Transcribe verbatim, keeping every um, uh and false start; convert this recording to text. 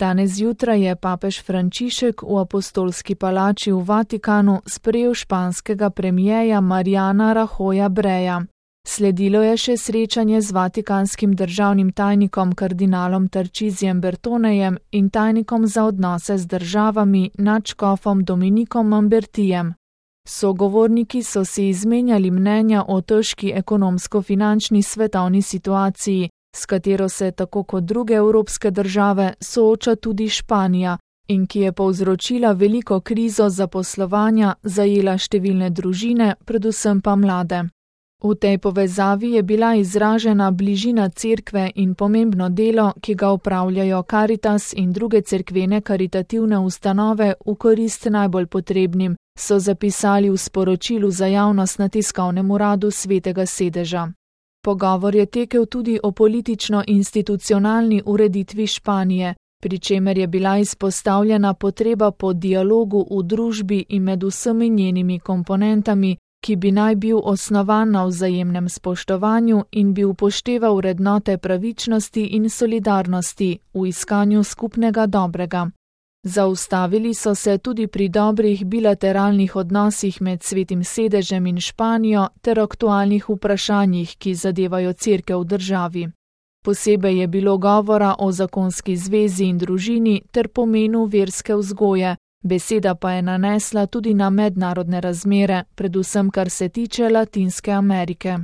Danes zjutraj je papež Frančišek v apostolski palači v Vatikanu sprejel španskega premierja Mariana Rajoya Breja. Sledilo je še srečanje z vatikanskim državnim tajnikom kardinalom Tarcisijem Bertonejem in tajnikom za odnose z državami nadškofom Dominikom Mambertijem. Sogovorniki so si izmenjali mnenja o težki ekonomsko-finančni svetovni situaciji, s katero se tako kot druge evropske države sooča tudi Španija in ki je povzročila veliko krizo zaposlovanja, zajela številne družine, predvsem pa mlade. V tej povezavi je bila izražena bližina cerkve in pomembno delo, ki ga opravljajo Caritas in druge cerkvene karitativne ustanove v korist najbolj potrebnim, so zapisali v sporočilu za javnost na tiskovnem uradu Svetega sedeža. Pogovor je tekel tudi o politično-institucionalni ureditvi Španije, pri čemer je bila izpostavljena potreba po dialogu v družbi in med vsemi njenimi komponentami, ki bi naj bil osnovan na vzajemnem spoštovanju in bi upošteval vrednote pravičnosti in solidarnosti v iskanju skupnega dobrega. Zaustavili so se tudi pri dobrih bilateralnih odnosih med Svetim sedežem in Španijo ter aktualnih vprašanjih, ki zadevajo cerkev v državi. Posebej je bilo govora o zakonski zvezi in družini ter pomenu verske vzgoje, beseda pa je nanesla tudi na mednarodne razmere, predvsem kar se tiče Latinske Amerike.